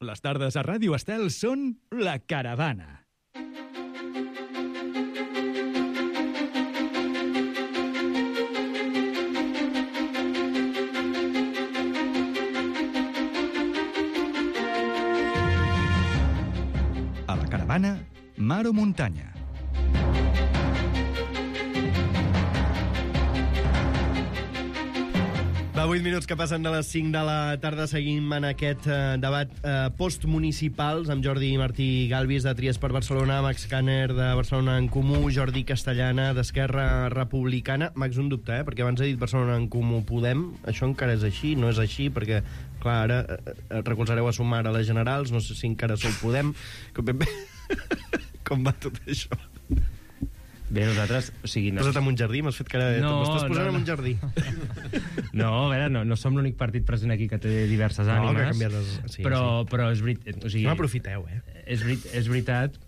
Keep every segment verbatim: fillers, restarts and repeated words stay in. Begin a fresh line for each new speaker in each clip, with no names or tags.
Les tardes a Ràdio Estel són La Caravana. A La Caravana, mar o muntanya.
Va, vuit minuts que passen de les cinc de la tarda. Seguim en aquest eh, debat eh, postmunicipals amb Jordi Martí Galvis, de Tries per Barcelona, Max Kanner, de Barcelona en Comú, Jordi Castellana, d'Esquerra Republicana. Max, un dubte, eh? Perquè abans he dit Barcelona en Comú Podem. Això encara és així? No és així? Perquè, clar, ara eh, recolzareu a Sumar a les generals. No sé si encara sou Podem. Com, Com va tot això?
Bé, nosaltres... O sigui, no...
Posa't en un jardí, m'has fet cara...
No,
M'estàs posant
no,
en un jardí.
No, a veure, no, no som l'únic partit present aquí que té diverses
no,
ànimes.
Que ha canviat les... sí,
però,
sí.
però és veritat... O sigui,
no aprofiteu, eh?
És, veri és veritat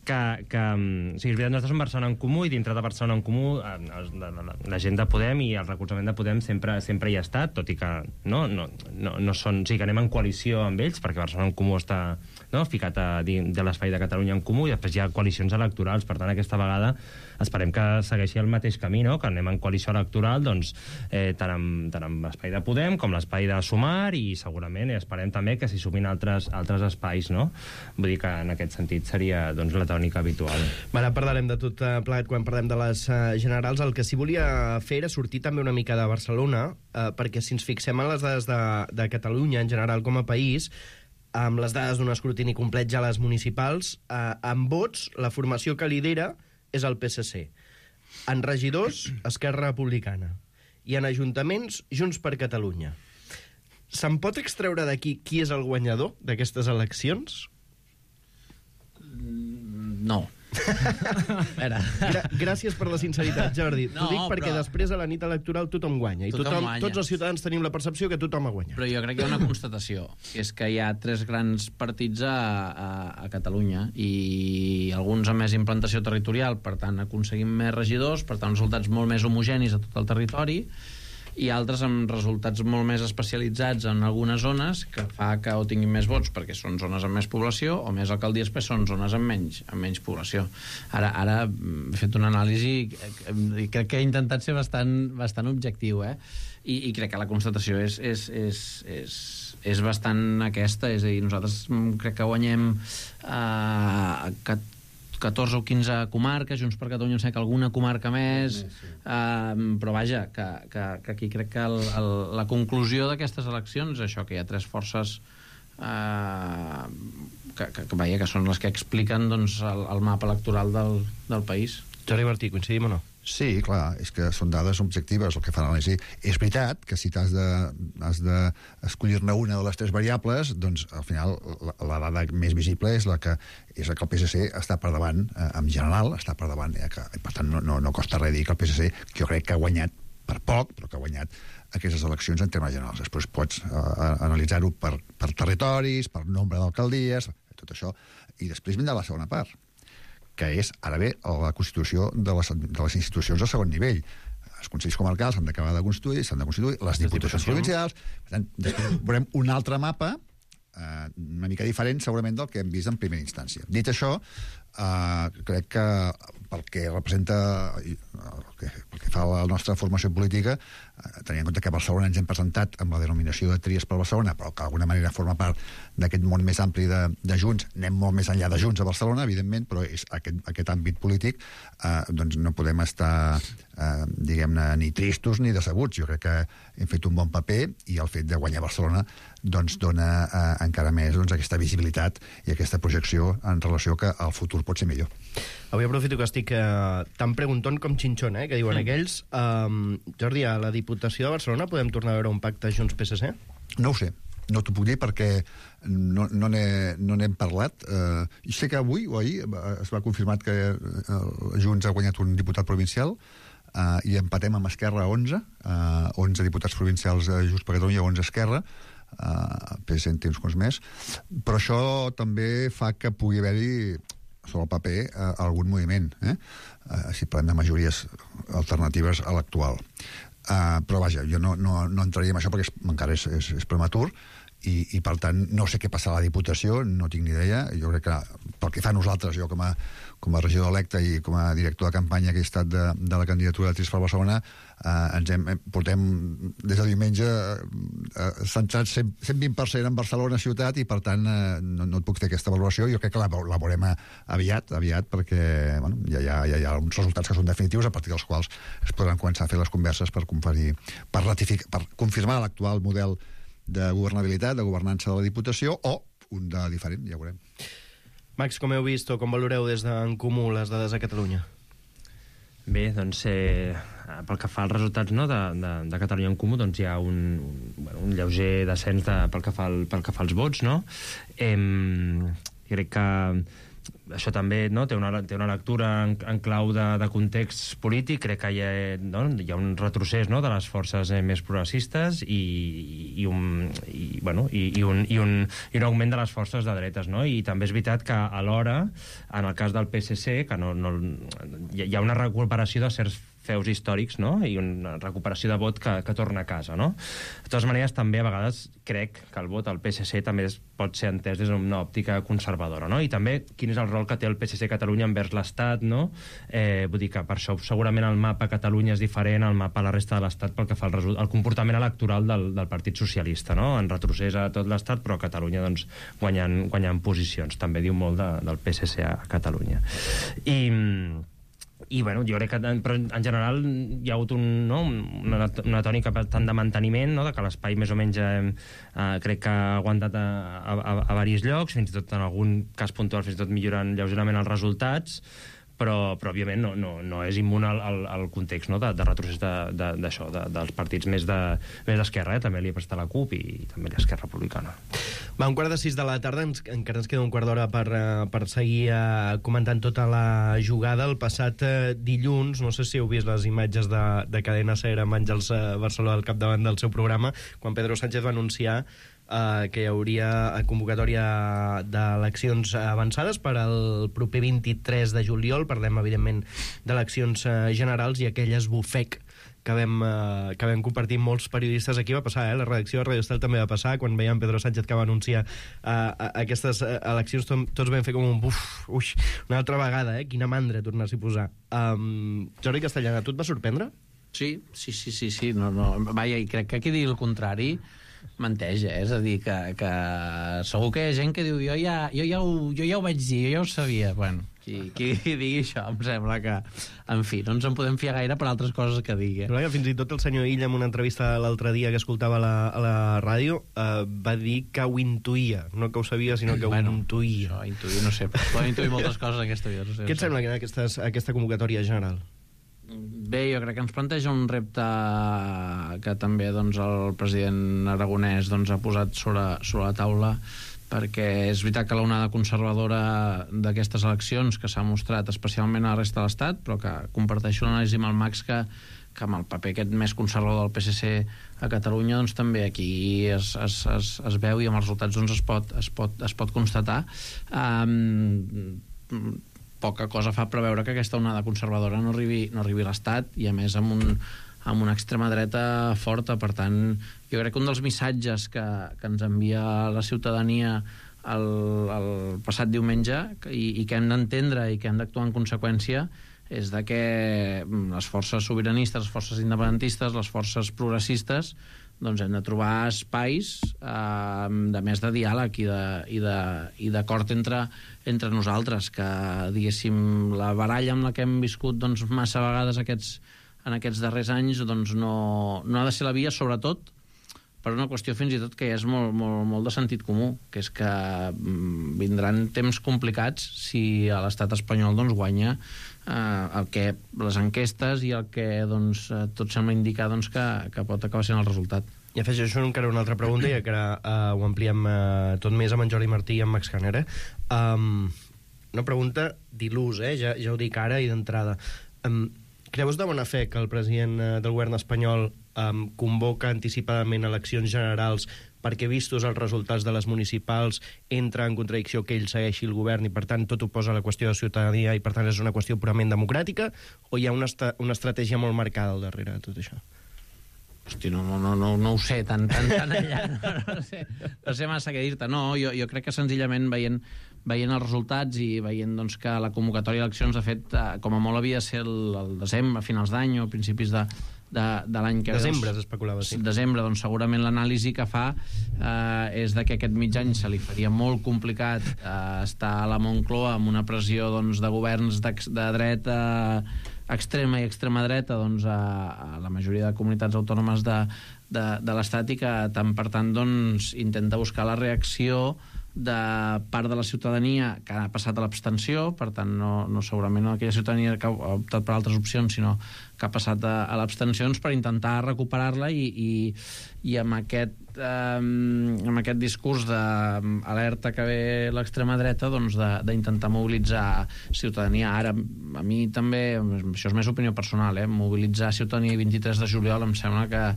que... que o sigui, és veritat, nosaltres som Barcelona en Comú i dintre de Barcelona en Comú la, la, la gent de Podem i el recolzament de Podem sempre, sempre hi ha estat, tot i que no, no, no, no són... O sigui, que anem en coalició amb ells, perquè Barcelona en Comú està... No, ficat a, de l'espai de Catalunya en Comú, i després hi ha coalicions electorals. Per tant, aquesta vegada esperem que segueixi el mateix camí, no? Que anem en coalició electoral, doncs, eh, tant, amb, tant amb l'espai de Podem com l'espai de Sumar, i segurament esperem també que s'hi sumin altres, altres espais, no? Vull dir que en aquest sentit seria, doncs, la tònica habitual.
Ara parlarem de tot plegat quan parlem de les uh, generals. El que sí volia fer era sortir també una mica de Barcelona, uh, perquè si ens fixem en les dades de, de Catalunya en general com a país, amb les dades d'un escrutini complet ja a les municipals, eh, amb vots, la formació que lidera és el P S C. En regidors, Esquerra Republicana. I en ajuntaments, Junts per Catalunya. Se'n pot extreure d'aquí qui és el guanyador d'aquestes eleccions?
No.
Gra gràcies per la sinceritat, Jordi.
No,
T'ho dic perquè
però...
després a la nit electoral tothom guanya. I
tothom
tothom,
guanya.
Tots els ciutadans tenim la percepció que tothom ha guanyat.
Però jo crec que hi ha una constatació, que és que hi ha tres grans partits a, a, a Catalunya, i alguns amb més implantació territorial, per tant aconseguim més regidors, per tant resultats molt més homogenis a tot el territori, i altres amb resultats molt més especialitzats en algunes zones, que fa que o tinguin més vots perquè són zones amb més població, o més alcaldies perquè són zones amb menys, amb menys població. Ara, ara he fet una anàlisi i crec que he intentat ser bastant, bastant objectiu, eh? I, i crec que la constatació és, és, és, és, és bastant aquesta, és a dir, nosaltres crec que guanyem eh, que catorze o quinze comarques, Junts per Catalunya em sembla que alguna comarca més, sí. eh, però vaja, que, que, que aquí crec que el, el, la conclusió d'aquestes eleccions és això, que hi ha tres forces eh, que, que, que, vaja, que són les que expliquen, doncs, el, el mapa electoral del, del país.
Jordi Martí, coincidim o no?
Sí, clar, és que són dades objectives el que fan l'anàlisi. És veritat que si t'has de, has d'escollir-ne una de les tres variables, doncs al final la, la dada més visible és la que és la que el P S C està per davant, eh, en general, està per davant, eh, que, per tant no, no, no costa res dir que el P S C, que jo crec que ha guanyat per poc, però que ha guanyat aquestes eleccions en termes generals. Després pots eh, analitzar-ho per, per territoris, per nombre d'alcaldies, tot això, i després vindrà la segona part, que és, ara bé, la constitució de les, de les institucions de segon nivell. Els consells comarcals s'han d'acabar de constituir, s'han de constituir, les diputacions provincials. Per tant, després veurem un altre mapa, eh, una mica diferent, segurament, del que hem vist en primera instància. Dit això, eh, crec que pel que representa, el que, pel que fa a la nostra formació política, eh, tenint en compte que a Barcelona ens hem presentat amb la denominació de Tries per Barcelona, però que d'alguna manera forma part d'aquest món més ampli de, de Junts, anem molt més enllà de Junts a Barcelona, evidentment, però és aquest, aquest àmbit polític, eh, doncs no podem estar, eh, diguem-ne, ni tristos ni decebuts. Jo crec que hem fet un bon paper, i el fet de guanyar Barcelona doncs dona eh, encara més doncs, aquesta visibilitat i aquesta projecció en relació que el futur pot ser millor.
Avui aprofito que estic eh, tan pregunton com xinxon, eh, que diuen mm. aquells. Um, Jordi, a la Diputació de Barcelona podem tornar a veure un pacte Junts-P S C?
No ho sé. No t'ho puc dir perquè no, no n'hem no parlat. Uh, i sé que avui o ahir es va confirmar que uh, Junts ha guanyat un diputat provincial, uh, i empatem amb Esquerra onze, uh, onze diputats provincials uh, Junts per Catalunya, onze Esquerra, uh, P S C en té uns quants més, però això també fa que pugui haver-hi sobre el paper uh, algun moviment, eh? uh, si parlem de majories alternatives a l'actual. Uh, però vaja, jo no, no, no entraria en això perquè és, encara és, és, és prematur, i, i per tant no sé què passarà a la Diputació, no tinc ni idea. Jo crec que pel que fa a nosaltres, jo com a, com a regidor electe i com a director de campanya que he estat de, de la candidatura de Trist per Barcelona, eh, ens hem, portem des de diumenge eh, centrats cent vint per cent en Barcelona ciutat, i per tant eh, no, no et puc fer aquesta valoració. Jo crec que la, la veurem aviat, aviat perquè bueno, ja, ja, ja hi ha uns resultats que són definitius, a partir dels quals es podran començar a fer les converses per, conferir, per, ratificar, per confirmar l'actual model de governabilitat, de governança de la Diputació, o un de diferent, ja ho veurem.
Max, com heu vist o com valoreu des d'en Comú les dades a Catalunya?
Bé, doncs, eh, pel que fa als resultats, no, de, de, de Catalunya en Comú, doncs hi ha un, un, bueno, un lleuger descens de, pel, que fa el, pel que fa als vots, no? Eh, crec que això també, no, té, una, té una lectura en, en clau de, de context polític. Crec que hi ha, no, hi ha un retrocés, no, de les forces eh, més progressistes i, i, un, i, bueno, i, i, un, i, un, i un augment de les forces de dretes, no? I també és veritat que alhora, en el cas del P S C, que no, no, hi ha una recuperació de certs feus històrics, no? I una recuperació de vot que, que torna a casa, no? De totes maneres, també a vegades crec que el vot al P S C també es, pot ser entès des d'una òptica conservadora, no? I també quin és el rol que té el P S C a Catalunya envers l'Estat, no? Eh, vull dir que per això segurament el mapa a Catalunya és diferent al mapa a la resta de l'Estat pel que fa al, al comportament electoral del, del Partit Socialista, no? En retrocés a tot l'Estat, però a Catalunya doncs, guanyant, guanyant posicions. També diu molt de, del P S C a Catalunya. I... I, bueno, jo crec que però en general hi ha hagut un, no, una, una tònica bastant de manteniment, no, de que l'espai més o menys eh, crec que ha aguantat a, a, a, a diversos llocs, fins i tot en algun cas puntual fins i tot millorant lleugerament els resultats, però, però òbviament no, no, no és immun al, al, al context, no, de, de retrocés d'això, de, de, dels partits més d'esquerra, de, eh? També li ha prestat la CUP i, i també l'Esquerra Republicana.
Va, un quart de sis de la tarda, ens, encara ens queda un quart d'hora per, uh, per seguir uh, comentant tota la jugada. El passat uh, dilluns, no sé si heu vist les imatges de, de Cadena Ser amb Àngels uh, Barceló al capdavant del seu programa, quan Pedro Sánchez va anunciar Uh, que hi hauria convocatòria d'eleccions avançades per al proper vint-i-tres de juliol. Parlem, evidentment, d'eleccions uh, generals, i aquell esbufec que vam, uh, que vam compartir molts periodistes aquí va passar, eh? La redacció de Radio Estel també va passar, quan veiem Pedro Sánchez que va anunciar uh, aquestes uh, eleccions, to tots vam fer com un buf, uix, una altra vegada, eh? Quina mandra tornar-s'hi a posar. Um, Jordi Castellana, tu et va sorprendre?
Sí, sí, sí, sí, sí. No, no. Vaja, i crec que qui digui el contrari menteix, eh? És a dir, que, que segur que hi ha gent que diu jo ja, jo, ja ho, jo ja ho vaig dir, jo ja ho sabia. Bueno, qui, qui digui això, em sembla que, en fi, no ens en podem fiar gaire per altres coses que digui.
Però que fins i tot el senyor Illa, en una entrevista l'altre dia que escoltava a la, a la ràdio, eh, va dir que ho intuïa, no que ho sabia, sinó que
bueno,
ho intuïa.
Això, intuir, no sé, poden intuir moltes coses en aquesta vida. No sé,
Què et sembla que aquestes, aquesta convocatòria general?
Bé, jo crec que ens planteja un repte que també doncs, el president aragonès doncs, ha posat sobre, sobre la taula, perquè és veritat que l'onada conservadora d'aquestes eleccions, que s'ha mostrat especialment a la resta de l'Estat, però que comparteixo l'anàlisi amb el Max, que, que amb el paper aquest més conservador del P S C a Catalunya, doncs també aquí es, es, es, es veu, i amb els resultats doncs, es, pot, es, pot, es pot constatar. Um, poca cosa fa preveure que aquesta onada conservadora no arribi, no arribi a l'Estat, i a més amb, un, amb una extrema dreta forta. Per tant, jo crec que un dels missatges que, que ens envia la ciutadania el, el passat diumenge, i, i que hem d'entendre i que hem d'actuar en conseqüència, és de que les forces sobiranistes, les forces independentistes, les forces progressistes, doncs hem de trobar espais eh, de més de diàleg i de, i de, i d'acord entre, entre nosaltres, que, diguéssim, la baralla amb la que hem viscut doncs, massa vegades aquests, en aquests darrers anys doncs, no, no ha de ser la via, sobretot per una qüestió fins i tot que ja és molt, molt, molt de sentit comú, que és que vindran temps complicats si a l'estat espanyol doncs, guanya eh, el que les enquestes i el que doncs, tot sembla indicar doncs, que, que pot acabar sent el resultat.
I afegeixo encara una altra pregunta, i que ara uh, ho ampliem uh, tot més amb en Jordi Martí i amb Max Caner. Um, una pregunta d'il·lús, eh? ja, ja ho dic ara i d'entrada. Um, creus de bona fe que el president uh, del govern espanyol um, convoca anticipadament eleccions generals perquè, vistos els resultats de les municipals, entra en contradicció que ell segueixi el govern i, per tant, tot ho posa a la qüestió de ciutadania i, per tant, és una qüestió purament democràtica, o hi ha una, una estratègia molt marcada al darrere de tot això?
Hosti, no, no, no, no ho sé tan, tan, tan allà, no, no, sé, no sé massa què dir-te. No, jo, jo crec que senzillament veient, veient els resultats i veient doncs, que la convocatòria d'eleccions, de fet, eh, com a molt havia de ser el, el desembre, a finals d'any o principis de, de, de l'any que...
Desembre
doncs,
s'especulava, sí.
Desembre, doncs segurament l'anàlisi que fa eh, és de que aquest mig any se li faria molt complicat eh, estar a la Moncloa amb una pressió doncs, de governs de, de dreta extrema i extrema dreta doncs, a, a la majoria de comunitats autònomes de, de, de l'Estat i que tant per tant doncs, intenta buscar la reacció de part de la ciutadania que ha passat a l'abstenció, per tant no, no segurament no aquella ciutadania que ha optat per altres opcions, sinó que ha passat a, a l'abstenció per intentar recuperar-la i, i, i amb aquest eh, amb aquest discurs d'alerta que ve l'extrema dreta doncs d'intentar mobilitzar ciutadania. Ara, a mi també, això és més opinió personal, eh, mobilitzar ciutadania el vint-i-tres de juliol em sembla que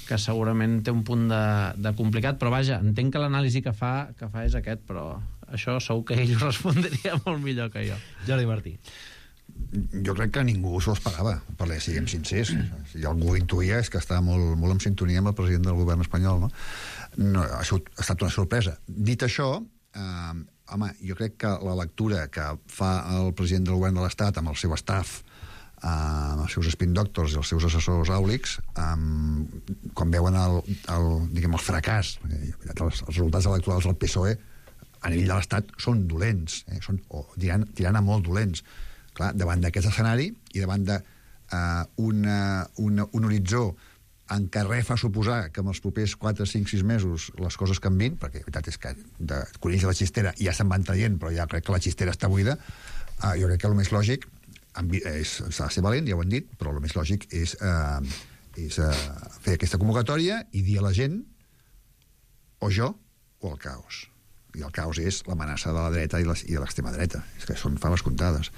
que segurament té un punt de, de complicat, però vaja, entenc que l'anàlisi que fa, que fa és aquest, però això segur que ell ho respondria molt millor que jo.
Jordi Martí.
Jo crec que ningú s'ho esperava, perquè siguem sincers. Si algú intuïa és que està molt, molt en sintonia amb el president del govern espanyol, no? No, això ha estat una sorpresa. Dit això, eh, home, jo crec que la lectura que fa el president del govern de l'Estat amb el seu staff, amb els seus spin doctors i els seus assessors àulics, um, quan veuen el, el, diguem, el fracàs, els, els resultats electorals del P S O E a nivell de l'Estat són dolents, eh? són, o tirant, tirant a molt dolents. Clar, davant d'aquest escenari i davant d'un uh, una, una, un horitzó en què res fa suposar que en els propers quatre, cinc, sis mesos les coses canvin, perquè la veritat és que de conills a la xistera ja se'n van traient, però ja crec que la xistera està buida, uh, jo crec que el més lògic s'ha de ser valent, ja ho hem dit, però el més lògic és, eh, és eh, fer aquesta convocatòria i dir a la gent o jo o el caos. I el caos és l'amenaça de la dreta i de l'extrema dreta. És que són faves comptades.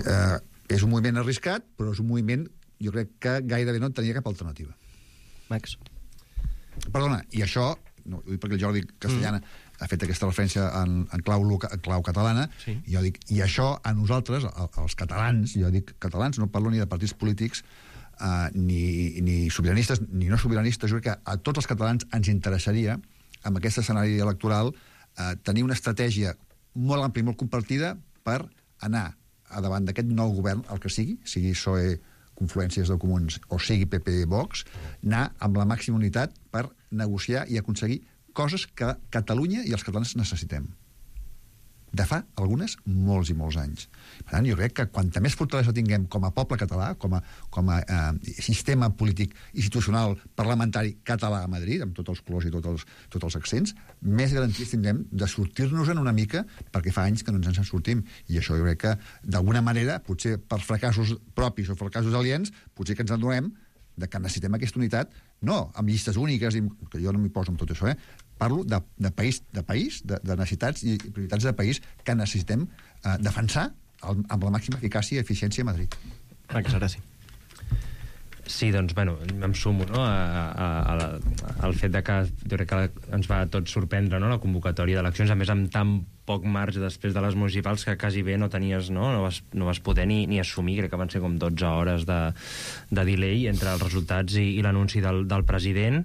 Eh, és un moviment arriscat, però és un moviment, jo crec que gairebé no tenia cap alternativa.
Max.
Perdona, i això, no, ho dic perquè el Jordi Castellana mm. ha fet aquesta referència en, en, clau, en clau catalana, sí. I jo dic, i això a nosaltres, els catalans, jo dic catalans, no parlo ni de partits polítics, eh, ni, ni sobiranistes, ni no sobiranistes, jo crec que a tots els catalans ens interessaria, amb aquest escenari electoral, eh, tenir una estratègia molt àmplia i molt compartida per anar a davant d'aquest nou govern, el que sigui, sigui P S O E, Confluències de Comuns, o sigui P P Vox, anar amb la màxima unitat per negociar i aconseguir coses que Catalunya i els catalans necessitem. De fa, algunes, molts i molts anys. Per tant, jo crec que quanta més fortalesa tinguem com a poble català, com a, com a eh, sistema polític institucional parlamentari català a Madrid, amb tots els colors i tots els, tots els accents, més garanties tindrem de sortir-nos-en una mica, perquè fa anys que no ens en sortim. I això jo crec que, d'alguna manera, potser per fracassos propis o fracassos aliens, potser que ens adonem de que necessitem aquesta unitat, no amb llistes úniques, que jo no m'hi poso amb tot això, eh? Parlo de, de país, de, país de, de necessitats i prioritats de país que necessitem eh, defensar el, amb la màxima eficàcia i eficiència a Madrid.
Max, ara sí.
Sí, doncs, bueno, em sumo, no?, a, a, a la, al fet de que jo crec que ens va tot sorprendre, no?, la convocatòria d'eleccions, a més amb tan poc marge després de les municipals que quasi bé no tenies, no?, no vas, no vas poder ni, ni assumir, crec que van ser com dotze hores de, de delay entre els resultats i, i l'anunci del, del president.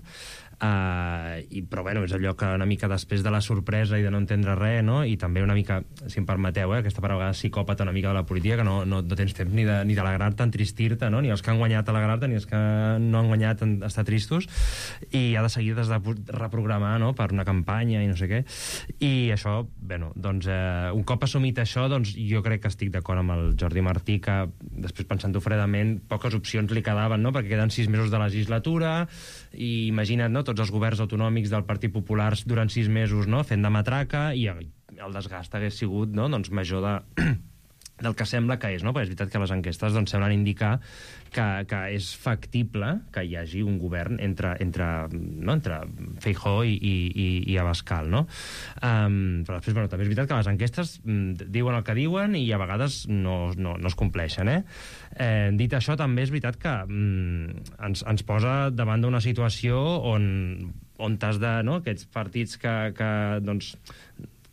Uh, i, però bueno, és allò que una mica després de la sorpresa i de no entendre res, no? I també una mica, si em permeteu, eh, aquesta paraula psicòpata una mica de la política, que no, no, no tens temps ni de, ni d'alegrar-te, entristir-te, no? Ni els que han guanyat alegrar-te, ni els que no han guanyat en estar tristos, i ha de seguir des de reprogramar, no?, per una campanya i no sé què. I això, bueno, doncs eh, un cop assumit això, doncs jo crec que estic d'acord amb el Jordi Martí, que després pensant-ho fredament, poques opcions li quedaven, no?, perquè queden sis mesos de legislatura, i imagina't, no?, tots els governs autonòmics del Partit Popular durant sis mesos, no?, fent de matraca, i el desgast hagués sigut, no?, doncs major de, del que sembla que és, no?, perquè és veritat que les enquestes doncs, semblen indicar que, que és factible que hi hagi un govern entre, entre, no?, entre Feijóo i, i, i Abascal, no? Um, però després, bueno, també és veritat que les enquestes diuen el que diuen i a vegades no, no, no es compleixen, eh? Eh, dit això, també és veritat que mm, ens, ens posa davant d'una situació on, on t'has de, no?, aquests partits que, que, doncs,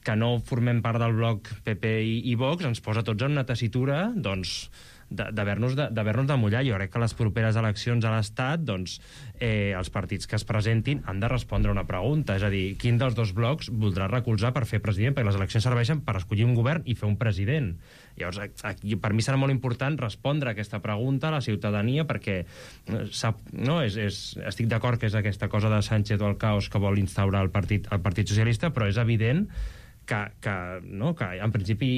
que no formem part del bloc P P i, i Vox, ens posa tots en una tessitura, doncs, d'haver-nos de, d'haver-nos de mullar. Jo crec que les properes eleccions a l'Estat, doncs, eh, els partits que es presentin han de respondre una pregunta, és a dir, quin dels dos blocs voldrà recolzar per fer president, perquè les eleccions serveixen per escollir un govern i fer un president. Llavors, aquí, per mi serà molt important respondre a aquesta pregunta a la ciutadania, perquè sap, no, és, és, estic d'acord que és aquesta cosa de Sánchez o el caos que vol instaurar el Partit, el Partit Socialista, però és evident que, que, no, que en principi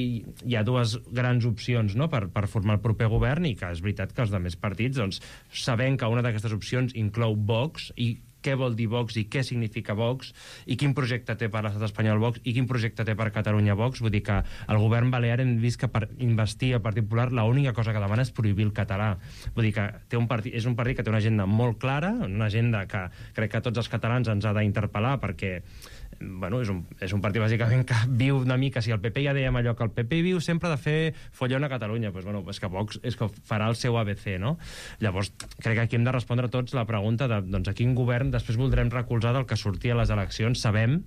hi ha dues grans opcions, no, per, per formar el proper govern, i que és veritat que els altres partits, doncs, sabent que una d'aquestes opcions inclou Vox, i què vol dir Vox i què significa Vox i quin projecte té per l'estat espanyol Vox i quin projecte té per Catalunya Vox. Vull dir que el govern balear hem vist que per investir el Partit Popular l'única cosa que demana és prohibir el català. Vull dir que té un partit, és un partit que té una agenda molt clara, una agenda que crec que tots els catalans ens ha d'interpel·lar, perquè bueno, és, un, és un partit bàsicament que viu una mica, si el P P ja dèiem allò que el P P viu sempre de fer follon a Catalunya, doncs, bueno, és que Vox és que farà el seu A B C, no? Llavors crec que aquí hem de respondre tots la pregunta de doncs, a quin govern després voldrem recolzar del que sortia a les eleccions. Sabem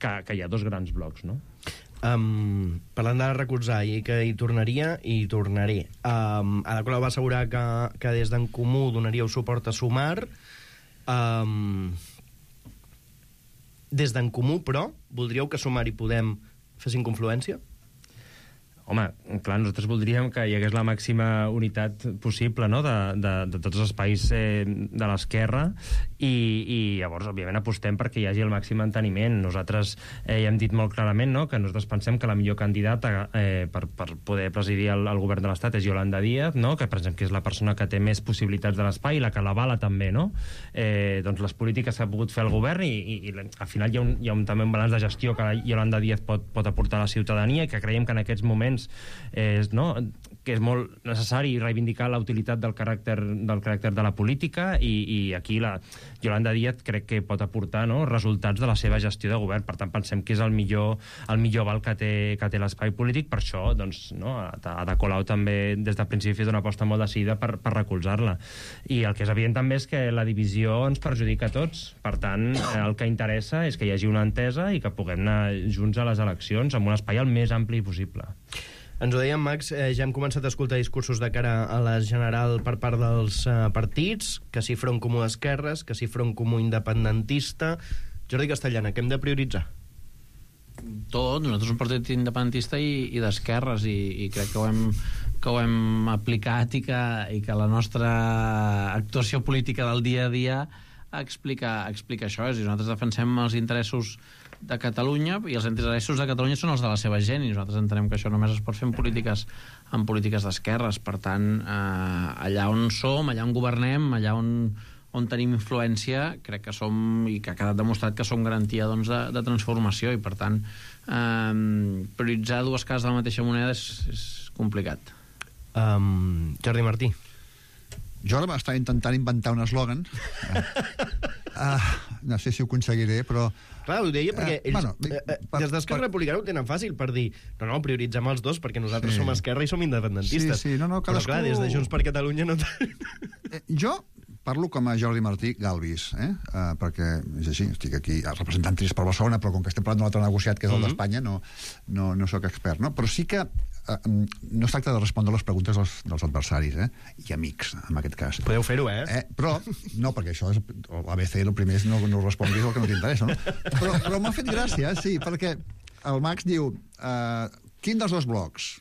que, que hi ha dos grans blocs, no?
Um, parlant de recolzar i que hi tornaria, hi tornaré. Um, Ada Colau va assegurar que, que des d'en Comú donaríeu suport a Sumar. Um, des d'en Comú, però, voldríeu que Sumar i Podem fessin confluència?
Home, clar, nosaltres voldríem que hi hagués la màxima unitat possible, no?, de, de, de tots els espais eh, de l'esquerra, i, i llavors, òbviament, apostem perquè hi hagi el màxim enteniment. Nosaltres eh, ja hem dit molt clarament, no?, que nosaltres pensem que la millor candidata eh, per, per poder presidir el, el govern de l'Estat és Yolanda Díaz, no?, que pensem que és la persona que té més possibilitats de l'espai i la que l'avala també, no?, eh, doncs les polítiques que ha pogut fer el govern, i, i, i al final hi ha, un, hi ha un, també un balanç de gestió que Yolanda Díaz pot, pot aportar a la ciutadania, i que creiem que en aquests moments és, no, que és molt necessari reivindicar la utilitat del caràcter, del caràcter de la política, i, i aquí la Yolanda Díaz crec que pot aportar, no, resultats de la seva gestió de govern. Per tant, pensem que és el millor, el millor val que té, que té l'espai polític. Per això, doncs, no, Ada Colau també des del principi ha fet una aposta molt decidida per, per recolzar-la. I el que és evident també és que la divisió ens perjudica a tots. Per tant, el que interessa és que hi hagi una entesa i que puguem anar junts a les eleccions amb un espai el més ampli possible.
Ens ho deia en Max, eh, ja hem començat a escoltar discursos de cara a la general per part dels eh, partits, que si Front Comú d'Esquerres, que si Front Comú independentista. Jordi Castellana, què hem de prioritzar?
Tot, nosaltres un partit independentista i, i d'esquerres, i, i crec que ho hem, que ho hem aplicat, i que, i que la nostra actuació política del dia a dia explica, explica això. És a dir, nosaltres defensem els interessos de Catalunya, i els interessos de Catalunya són els de la seva gent, i nosaltres entenem que això només es pot fer en polítiques, en polítiques d'esquerres. Per tant, eh, allà on som, allà on governem, allà on, on tenim influència, crec que som, i que ha quedat demostrat que som garantia, doncs, de, de transformació, i per tant eh, prioritzar dues cares de la mateixa moneda és, és complicat.
Um, Jordi Martí.
Jo ara m'estava intentant inventar un eslògan. Uh, no sé si ho aconseguiré, però...
Clar, ho deia perquè ells,
bueno,
eh, eh,
per,
des d'Esquerra
per...
Republicana ho tenen fàcil per dir no, no, prioritzem els dos perquè nosaltres
Sí.
som esquerra i som independentistes.
Sí, sí, no, no, cadascú...
Però clar, des de Junts per Catalunya no...
Eh, jo parlo com a Jordi Martí Galvis, eh? Uh, perquè és així, estic aquí representant Trist per Barcelona, però com que estem parlant d'un altre negociat que és el
Mm-hmm.
d'Espanya, no, no, no sóc expert, no? Però sí que uh, no es tracta de respondre les preguntes dels, dels adversaris, eh? I amics, en aquest cas.
Podeu fer-ho, eh?
Eh, però, no, perquè això és l'A B C, el primer és no, no responguis el que no t'interessa, no? Però, però m'ha fet gràcia, sí, perquè el Max diu uh, quin dels dos blocs?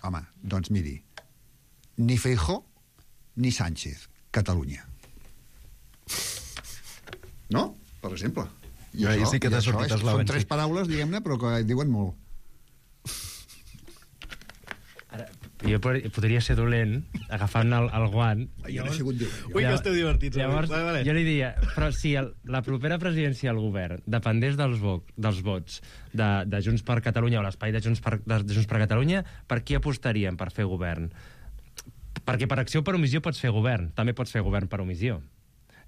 Home, doncs miri, ni Feijóo ni Sánchez, Catalunya. No? Per exemple. I
Ahí sí que t'ha
i això
sortit
és,
eslògan,
són tres
sí.
paraules, diguem-ne, però que diuen molt.
Ara, jo pod- podria ser dolent agafant el, el guant.
Jo no he sigut dir.
Ui, que esteu divertits.
Llavors,
Vale, vale.
jo li diria, però si el, la propera presidència del govern dependés dels, vo dels vots de, de Junts per Catalunya o l'espai de, Junts per, de, de Junts per Catalunya, per qui apostaríem per fer govern? Perquè per acció o per omissió pots fer govern, també pots fer govern per omissió.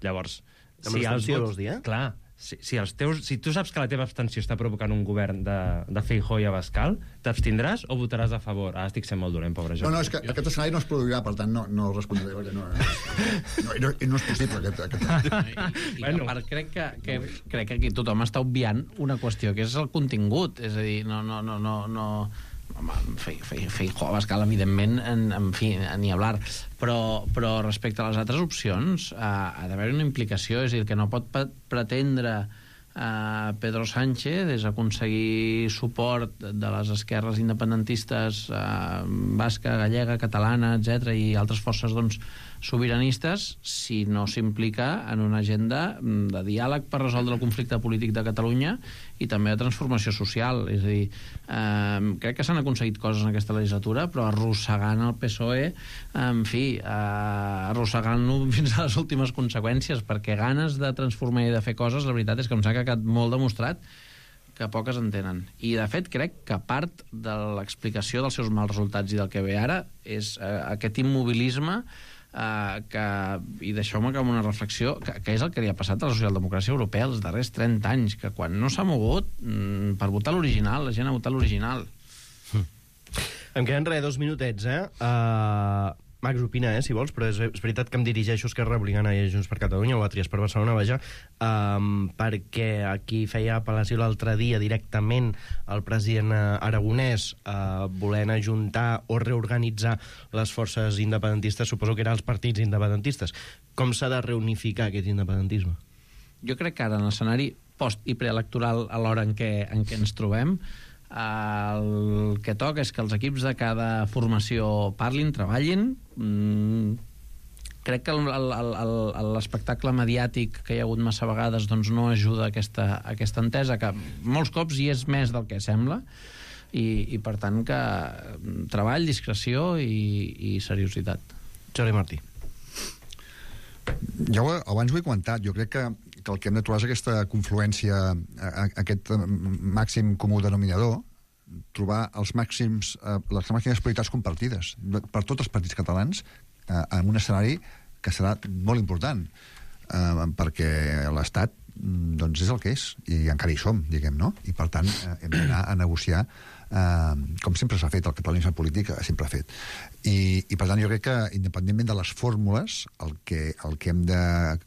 Llavors,
Amb
si els
l'abstenció,
vots...
vols dir, eh?
Clar, si, si, els teus, si tu saps que la teva abstenció està provocant un govern de, de Feijóo i Abascal, t'abstindràs o votaràs a favor? Ah, estic sent molt dolent, pobre
No,
Jordi.
no, és que aquest escenari no es produirà, per tant no, no respondré, perquè no, no, no, no és possible aquest... aquest...
I, i
Bueno.
a part, crec que, que, crec que aquí tothom està obviant una qüestió, que és el contingut. És a dir, no, no, no, no, no, Feijóo, Abascal, evidentment, en, en fi, ni hablar, però, però respecte a les altres opcions uh, ha d'haver una implicació, és a dir, que no pot pretendre Uh, Pedro Sánchez és aconseguir suport de les esquerres independentistes uh, basca, gallega, catalana, etcètera, i altres forces doncs, sobiranistes, si no s'implica en una agenda de diàleg per resoldre el conflicte polític de Catalunya i també de transformació social. És a dir, eh, crec que s'han aconseguit coses en aquesta legislatura, però arrossegant el P S O E, en fi, eh, arrossegant-lo fins a les últimes conseqüències, perquè ganes de transformar i de fer coses, la veritat és que em s'ha quedat molt demostrat que poques en tenen. I, de fet, crec que part de l'explicació dels seus mals resultats i del que ve ara és eh, aquest immobilisme Uh, que, i deixeu-me que amb una reflexió, que, que és el que li ha passat a la socialdemocràcia europea els darrers trenta anys, que quan no s'ha mogut mm, per votar l'original, la gent ha votat l'original.
Mm. Em queden res, dos minutets, eh? Uh, Max, opina, eh, si vols, però és, és veritat que em dirigeixo a Esquerra Republicana i a Junts per Catalunya, o a Trias per Barcelona, vaja, um, perquè aquí feia apel·lació l'altre dia directament el president aragonès uh, volent ajuntar o reorganitzar les forces independentistes, suposo que eren els partits independentistes. Com s'ha de reunificar aquest independentisme?
Jo crec que ara, en l'escenari post- i preelectoral, a l'hora en què, en què ens trobem, el que toca és que els equips de cada formació parlin, treballin. Mm, crec que l'espectacle mediàtic que hi ha hagut massa vegades doncs no ajuda a aquesta, a aquesta entesa, que molts cops hi és més del que sembla, i, i per tant que treball, discreció i, i seriositat.
Jordi Martí.
Ja ho, abans ho he comentat, jo crec que, que el que hem de trobar és aquesta confluència, aquest màxim comú denominador, trobar els màxims, les màximes prioritats compartides per tots els partits catalans en un escenari que serà molt important, perquè l'Estat doncs és el que és, i encara hi som, diguem, no? I per tant hem d'anar a negociar eh, com sempre s'ha fet, el catalanisme polític sempre ha fet. I, i per tant jo crec que independentment de les fórmules, el que, el que hem de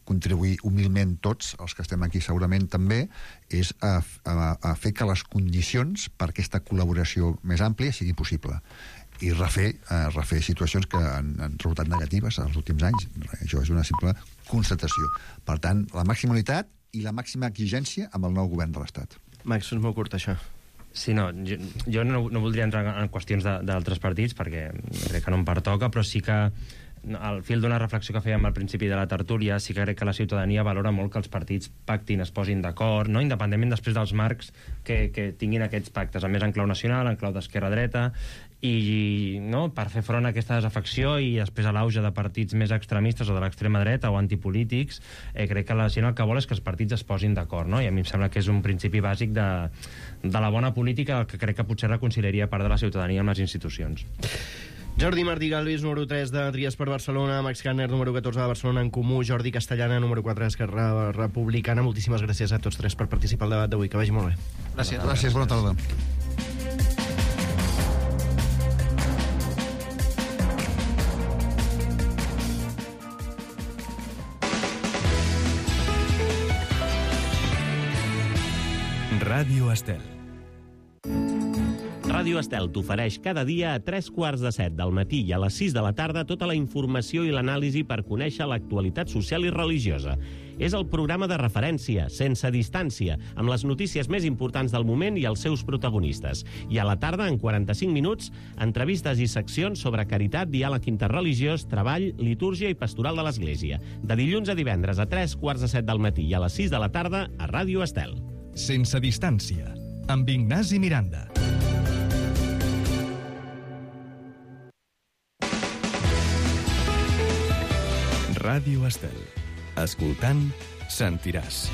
contribuir humilment tots, els que estem aquí segurament també, és a, a, a fer que les condicions per aquesta col·laboració més àmplia sigui possible i refer, eh, refer situacions que han, han resultat negatives en els últims anys. Això és una simple constatació. Per tant, la màxima unitat i la màxima exigència amb el nou govern de l'Estat.
Max, és molt curt, això.
Sí, no, jo, jo no, no voldria entrar en qüestions d'altres partits, perquè crec que no em pertoca, però sí que al fil d'una reflexió que fèiem al principi de la tertúlia, sí que crec que la ciutadania valora molt que els partits pactin, es posin d'acord, no? Independentment després dels marcs que, que tinguin aquests pactes, a més en clau nacional, en clau d'esquerra-dreta, i no, per fer front a aquesta desafecció i després a l'auge de partits més extremistes o de l'extrema dreta o antipolítics, eh, crec que la gent el que vol és que els partits es posin d'acord, no? I a mi em sembla que és un principi bàsic de, de la bona política que crec que potser reconciliaria part de la ciutadania amb les institucions.
Jordi Martí Galvis, número tres de Trias per Barcelona, Max Kanner, número catorze de Barcelona en Comú, Jordi Castellana, número quatre d'Esquerra Republicana. Moltíssimes gràcies a tots tres per participar al debat d'avui. Que vagi molt bé.
Gràcies. Gràcies, bona tarda.
Ràdio Estel.
Ràdio Estel t'ofereix cada dia a tres quarts de set del matí i a les sis de la tarda tota la informació i l'anàlisi per conèixer l'actualitat social i religiosa. És el programa de referència, sense distància, amb les notícies més importants del moment i els seus protagonistes. I a la tarda, en quaranta-cinc minuts, entrevistes i seccions sobre caritat, diàleg interreligiós, treball, litúrgia i pastoral de l'Església. De dilluns a divendres a tres quarts de set del matí i a les sis de la tarda a Ràdio Estel.
Sense distància, amb Ignasi Miranda. Ràdio Estel. Escoltant, sentiràs.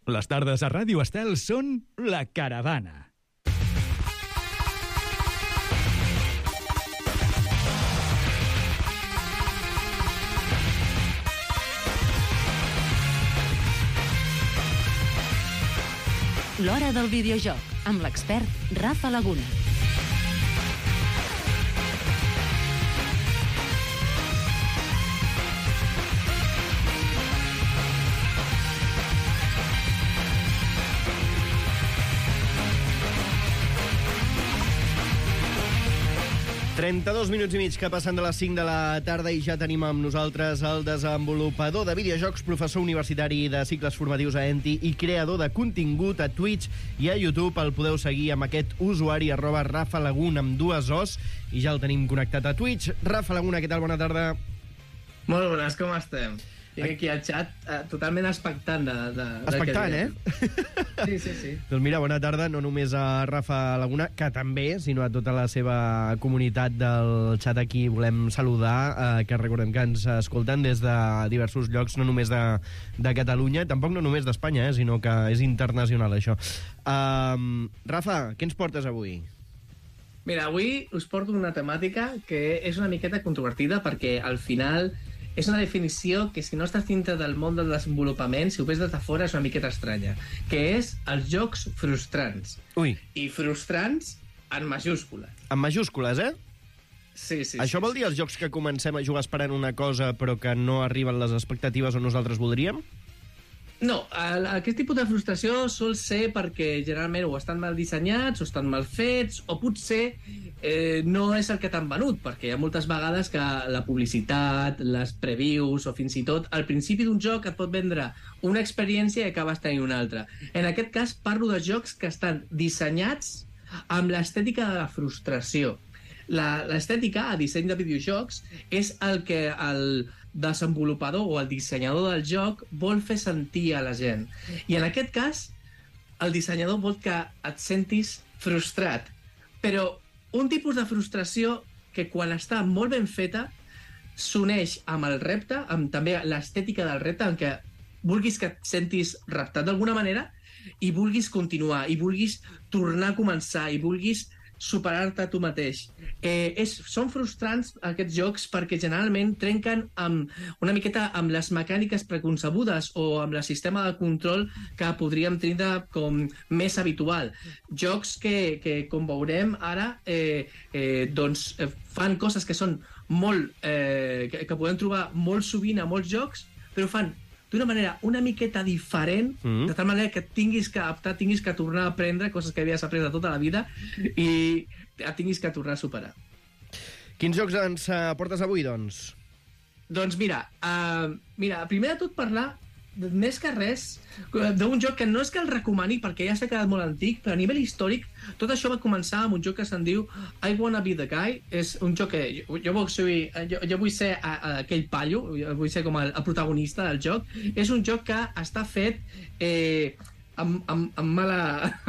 Les tardes a Ràdio Estel són La Caravana.
L'Hora del Videojoc, amb l'expert Rafa Laguna.
trenta-dos minuts i mig que passen de les cinc de la tarda i ja tenim amb nosaltres el desenvolupador de videojocs, professor universitari de cicles formatius a Enti i creador de contingut a Twitch i a YouTube. El podeu seguir amb aquest usuari arroba Rafa Laguna amb dues os i ja el tenim connectat a Twitch. Rafa Laguna, què tal? Bona tarda.
Molt bones, com estem? Tinc aquí al xat eh, totalment expectant de, de,
expectant, eh?
Sí, sí, sí.
Doncs mira, bona tarda, no només a Rafa Laguna, que també, sinó a tota la seva comunitat del xat aquí volem saludar, eh, que recordem que ens escolten des de diversos llocs, no només de, de Catalunya, tampoc no només d'Espanya, eh, sinó que és internacional, això. Um, Rafa, què ens portes avui?
Mira, avui us porto una temàtica que és una miqueta controvertida perquè al final és una definició que si no estàs dintre del món del desenvolupament, si ho ves des de fora és una miqueta estranya, que és els jocs frustrants.
Ui.
I frustrants en majúscules.
En majúscules, eh?
Sí, sí.
Això
sí,
vol
sí.
dir els jocs que comencem a jugar esperant una cosa però que no arriben les expectatives on nosaltres voldríem?
No, el, aquest tipus de frustració sol ser perquè generalment o estan mal dissenyats o estan mal fets o potser eh, no és el que t'han venut, perquè hi ha moltes vegades que la publicitat, les previews o fins i tot al principi d'un joc et pot vendre una experiència i acabes tenint una altra. En aquest cas parlo de jocs que estan dissenyats amb l'estètica de la frustració. L'estètica a disseny de videojocs és el que el desenvolupador o el dissenyador del joc vol fer sentir a la gent. I en aquest cas, el dissenyador vol que et sentis frustrat. Però un tipus de frustració que quan està molt ben feta s'uneix amb el repte, amb també l'estètica del repte, en què vulguis que et sentis reptat d'alguna manera i vulguis continuar, i vulguis tornar a començar, i vulguis superar-te a tu mateix. Eh, és, són frustrants aquests jocs perquè generalment trenquen amb, una miqueta amb les mecàniques preconcebudes o amb el sistema de control que podríem tindre com més habitual. Jocs que, que com veurem ara, eh, eh, doncs eh, fan coses que són molt... Eh, que, que podem trobar molt sovint a molts jocs, però fan d'una manera una miqueta diferent, mm. de tal manera que tinguis que adaptar, tinguis que tornar a aprendre coses que havies après de tota la vida i et tinguis que tornar a superar.
Quins jocs ens uh, portes avui, doncs?
Doncs mira, uh, mira, primer de tot parlar, més que res, d'un joc que no és que el recomani perquè ja s'ha quedat molt antic, però a nivell històric tot això va començar amb un joc que se'n diu I Wanna Be The Guy. És un joc que jo, jo, vull, ser, jo, jo vull ser a, a aquell pallo, vull ser com el, el protagonista del joc. És un joc que està fet eh, amb, amb, amb, mala,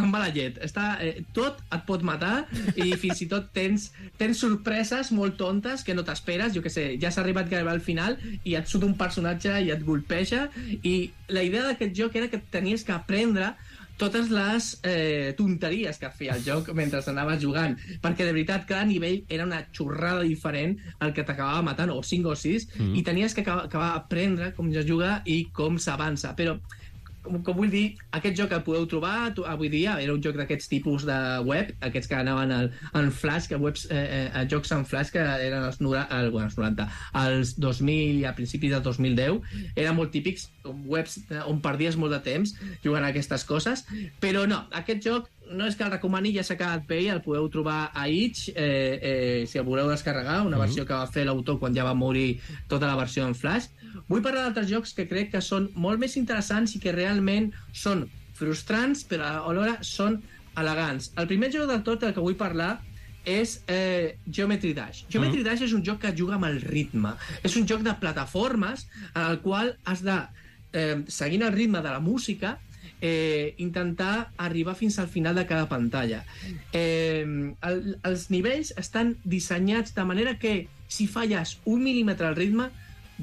amb mala llet. Està, eh, tot et pot matar i fins i tot tens, tens sorpreses molt tontes que no t'esperes. Jo què sé, ja s'ha arribat gairebé al final i et surt un personatge i et golpeja, i la idea d'aquest joc era que tenies que aprendre totes les eh, tonteries que feia el joc mentre anaves jugant, perquè de veritat cada nivell era una xorrada diferent el que t'acabava matant, o cinc o sis, mm. i tenies que acabar, acabar a aprendre com ja juga i com s'avança. Però Com, com vull dir, aquest joc el podeu trobar avui dia, era un joc d'aquests tipus de web, aquests que anaven al, en flash, que webs, eh, eh, jocs en flash que eren els, el, bueno, els noranta, als dos mil i a principis del dos mil deu, eren molt típics, webs on perdies molt de temps jugant a aquestes coses, però no, aquest joc no és que el recomani, ja s'ha quedat bé, el podeu trobar a itch, eh, eh, si el voleu descarregar, una versió que va fer l'autor quan ja va morir tota la versió en flash. Vull parlar d'altres jocs que crec que són molt més interessants i que realment són frustrants, però alhora són elegants. El primer joc del tot del que vull parlar és eh, Geometry Dash. Geometry Dash és un joc que juga amb el ritme. És un joc de plataformes en el qual has de, eh, seguint el ritme de la música, Eh, intentar arribar fins al final de cada pantalla. Eh, el, els nivells estan dissenyats de manera que si falles un mil·límetre al ritme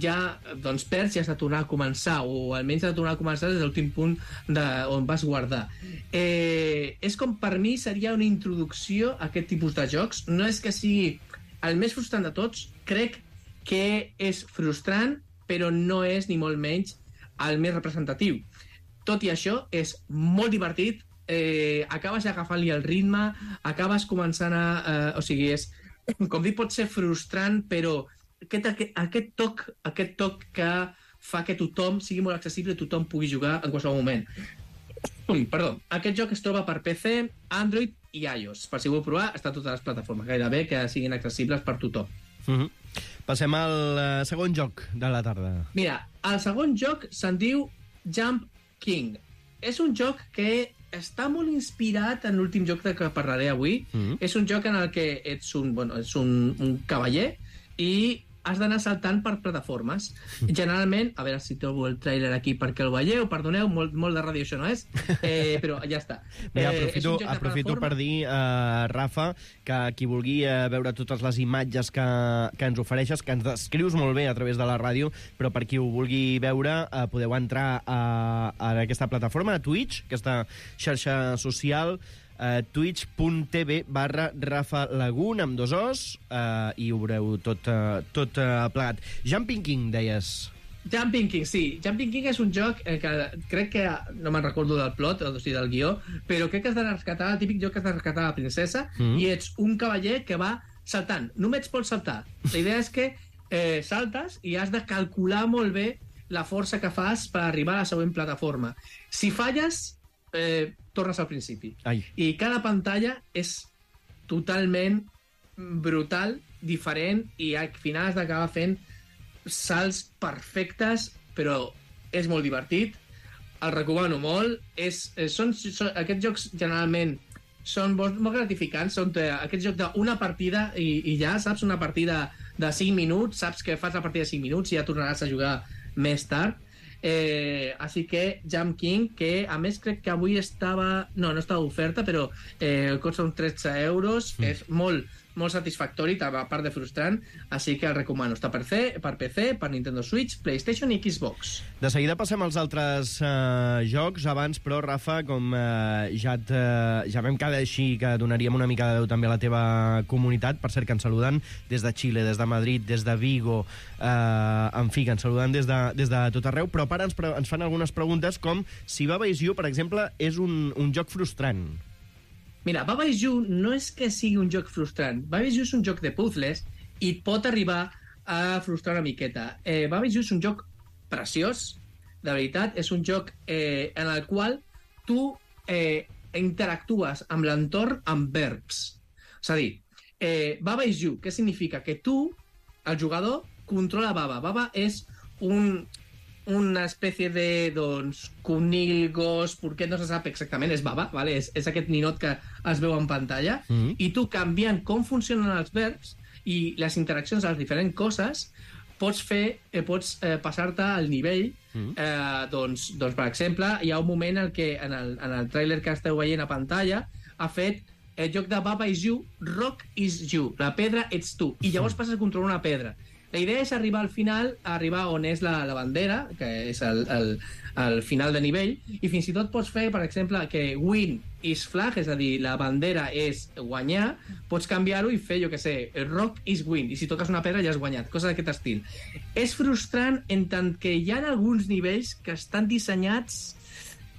ja doncs, perds i has de tornar a començar, o almenys has de tornar a començar des de l'últim punt de, on vas guardar. Eh, és com, per mi, seria una introducció a aquest tipus de jocs. No és que sigui el més frustrant de tots, crec que és frustrant, però no és ni molt menys el més representatiu. Tot i això, és molt divertit, eh, acabes agafant-li el ritme, acabes començant a... Eh, o sigui, és, com dic, pot ser frustrant, però aquest, aquest, aquest toc aquest toc que fa que tothom sigui molt accessible i tothom pugui jugar en qualsevol moment. Perdó, aquest joc es troba per P C, Android i iOS. Per si voleu provar, està a totes les plataformes, gairebé que siguin accessibles per tothom.
Uh-huh. Passem al uh, segon joc de la tarda.
Mira, el segon joc se'n diu Jump King. És un joc que està molt inspirat en l'últim joc de què parlaré avui. Mm-hmm. És un joc en el que ets un, bueno, ets un, un cavaller i has d'anar saltant per plataformes. Generalment, a veure si trobo el tràiler aquí perquè el veieu, perdoneu, molt, molt de ràdio això no és, eh, però ja està.
Bé,
Eh,
aprofito,
és un joc de
aprofito
plataforma.
per dir, uh, Rafa, que qui vulgui uh, veure totes les imatges que, que ens ofereixes, que ens descrius molt bé a través de la ràdio, però per qui ho vulgui veure, uh, podeu entrar a, a aquesta plataforma, a Twitch, aquesta xarxa social, Uh, twitch.tv barra Rafa Lagun amb dos os uh, i ho veureu tot, uh, tot uh, plegat. Jumping King, deies.
Jumping King, sí. Jumping King és un joc eh, que crec que, no me'n recordo del plot, o sigui, del guió, però crec que has de rescatar, el típic joc que has de rescatar la princesa, mm. i ets un cavaller que va saltant. Només pots saltar. La idea és que eh, saltes i has de calcular molt bé la força que fas per arribar a la següent plataforma. Si falles, eh, tornes al principi.
Ai.
I cada pantalla és totalment brutal, diferent, i al final has d'acabar fent salts perfectes, però és molt divertit, el recomano molt. És, són, són, aquests jocs generalment són molt, molt gratificants, són eh, aquest joc d'una partida i, i ja, saps, una partida de cinc minuts, saps que fas la partida de cinc minuts i ja tornaràs a jugar més tard. Eh, així que Jump King, que a més crec que avui estava, no, no estava oferta, però eh, costa uns tretze euros, mm. és molt, molt satisfactori, a part de frustrant, així que el recomano. Està per, C, per P C, per Nintendo Switch, PlayStation i Xbox.
De seguida passem als altres uh, jocs. Abans, però, Rafa, com uh, ja, et, uh, ja vam quedar així que donaríem una mica de veu també a la teva comunitat, per cert, que ens saluden des de Xile, des de Madrid, des de Vigo, uh, en fi, que ens saluden des de, des de tot arreu, però ara ens, ens fan algunes preguntes com si Baba Is You, per exemple, és un, un joc frustrant.
Mira, Baba Is You no és que sigui un joc frustrant. Baba Is You és un joc de puzzles i et pot arribar a frustrar una miqueta. Eh, Baba Is You és un joc preciós, de veritat. És un joc eh, en el qual tu eh, interactues amb l'entorn amb verbs. És a dir, eh, Baba Is You, què significa? Que tu, el jugador, controla Baba. Baba és un... una espècie de, doncs, conill, gos, porquet, no se sap exactament, és baba, vale? és, és aquest ninot que es veu en pantalla, mm-hmm. i tu canviant com funcionen els verbs i les interaccions a les diferents coses, pots fer, eh, pots eh, passar-te al nivell, mm-hmm. eh, doncs, doncs, per exemple, hi ha un moment en què en el, en el tràiler que esteu veient a pantalla ha fet el joc de Baba Is You, Rock Is You, la pedra ets tu, i llavors passes a controlar una pedra. La idea és arribar al final, arribar on és la, la bandera, que és el, el, el final de nivell, i fins i tot pots fer, per exemple, que win is flag, és a dir, la bandera és guanyar, pots canviar-ho i fer, jo què sé, rock is win, i si toques una pedra ja has guanyat, coses d'aquest estil. És frustrant en tant que hi ha alguns nivells que estan dissenyats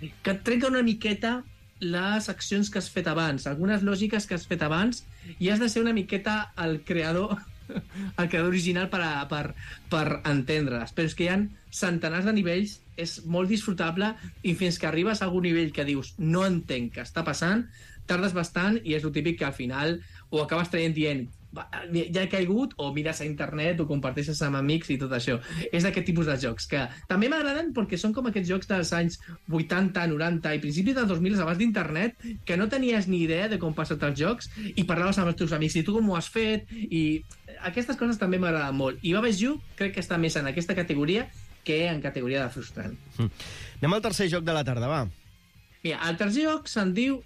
que et trenquen una miqueta les accions que has fet abans, algunes lògiques que has fet abans, i has de ser una miqueta el creador el creador original per, a, per, per entendre-les, però és que hi ha centenars de nivells, és molt disfrutable, i fins que arribes a algun nivell que dius no entenc què està passant, tardes bastant, i és el típic que al final ho acabes traient dient ja he caigut, o mires a internet o comparteixes amb amics i tot això. És d'aquest tipus de jocs que també m'agraden perquè són com aquests jocs dels anys vuitanta, noranta i principis dels dos mil abans d'internet, que no tenies ni idea de com passar-te els jocs i parlaves amb els teus amics i tu com ho has fet, i aquestes coses també m'agraden molt. I Baba Is You crec que està més en aquesta categoria que en categoria de frustrant.
Mm. Anem al tercer joc de la tarda, va.
Mira, el tercer joc se'n diu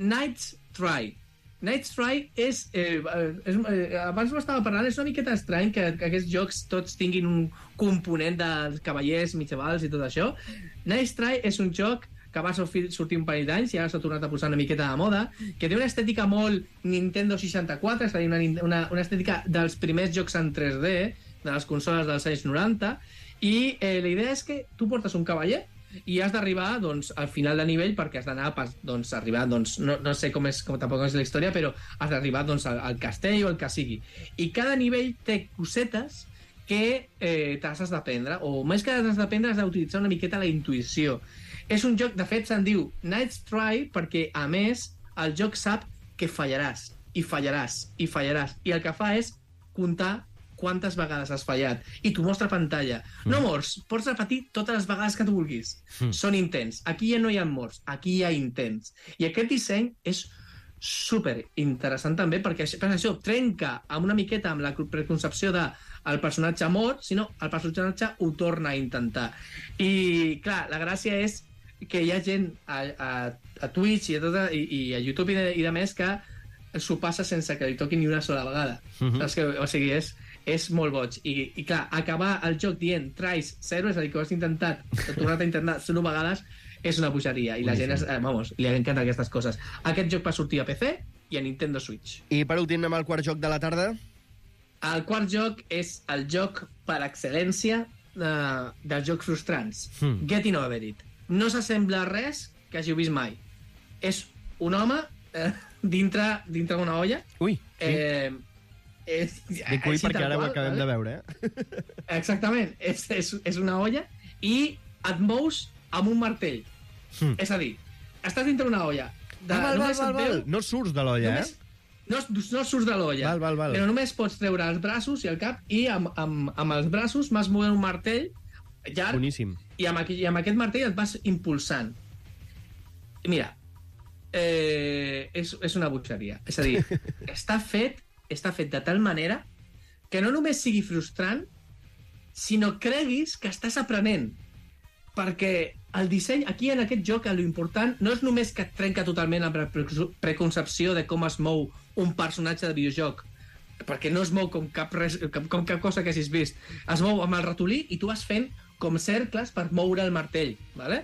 Night's Try. Night's Try és, eh, és eh, abans ho estava parlant, és una miqueta estrany que, que aquests jocs tots tinguin un component dels cavallers medievals i tot això. Night's Try és un joc que va sortir un parell d'anys i ara s'ha tornat a posar una miqueta de moda, que té una estètica molt Nintendo seixanta-quatre, és a dir, una, una, una estètica dels primers jocs en tres D de les consoles dels anys noranta, i eh, la idea és que tu portes un cavaller i has d'arribar, doncs, al final de nivell, perquè has d'anar, doncs, arribar, doncs, no, no sé com és, com tampoc és la història, però has d'arribar, doncs, al, al castell o el que sigui. I cada nivell té cosetes que eh, t'has d'aprendre, o més que t'has d'aprendre, has d'utilitzar una miqueta la intuïció. És un joc, de fet, se'n diu Night's Try perquè, a més, el joc sap que fallaràs, i fallaràs, i fallaràs. I el que fa és comptar quantes vegades has fallat. I t'ho mostra a pantalla. Mm. No mors, pots repetir totes les vegades que tu vulguis. Mm. Són intents. Aquí ja no hi ha morts, aquí hi ha intents. I aquest disseny és super interessant també, perquè per això trenca amb una miqueta amb la preconcepció de el personatge mort, sinó el personatge ho torna a intentar. I, clar, la gràcia és que hi ha gent a, a, a Twitch i a, tota, i, i a YouTube i de, i de més que s'ho passa sense que li toqui ni una sola vegada. Uh-huh. Saps que, o sigui, és, és molt boig. I, I, clar, acabar el joc dient tries zero, és a dir, que ho has intentat, que ho tornat a intentar zero vegades, és una bogeria. I la gent, és, eh, vamos, li encanten aquestes coses. Aquest joc va sortir a P C i a Nintendo Switch.
I per últim, anem al quart joc de la tarda.
El quart joc és el joc per excel·lència de, dels jocs frustrants. Hmm. Getting Over It. No s'assembla a res que hàgiu vist mai. És un home eh, dintre dintre d'una olla.
Ui, sí.
Eh, és,
Dic ui perquè ara qual, ho acabem vale? de veure, eh?
Exactament. És, és, és una olla i et mous amb un martell. Hmm. És a dir, estàs dintre d'una olla. De,
ah, val, val, val, val.
Veu,
no surts de l'olla,
només,
eh?
No, no surts de l'olla.
Val, val, val.
Però només pots treure els braços i el cap i amb, amb, amb els braços vas movent un martell llarg.
Boníssim.
I amb, aquí, i amb aquest martell et vas impulsant. Mira, eh, és, és una butxeria. És a dir, està fet, està fet de tal manera que no només sigui frustrant, sinó creguis que estàs aprenent. Perquè el disseny, aquí en aquest joc, l'important no és només que et trenca totalment amb la preconcepció de com es mou un personatge de videojoc, perquè no es mou com cap, res, com cap cosa que hagis vist. Es mou amb el ratolí i tu vas fent com cercles per moure el martell, ¿vale?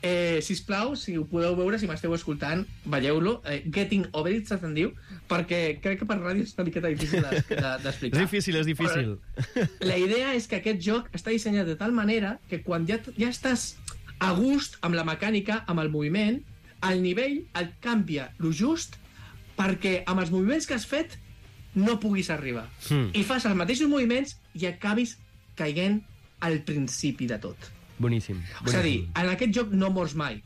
Eh, sisplau, si ho podeu veure, si m'esteu escoltant, veieu-lo. Eh, Getting Over It, se'n diu, perquè crec que per ràdio és una miqueta difícil d'explicar. De, de,
és difícil, és difícil.
Però la idea és que aquest joc està dissenyat de tal manera que quan ja, ja estàs a gust amb la mecànica, amb el moviment, el nivell et canvia lo just perquè amb els moviments que has fet no puguis arribar. Mm. I fas els mateixos moviments i acabis caient al principi de tot.
Boníssim.
boníssim. És a dir, en aquest joc no mors mai.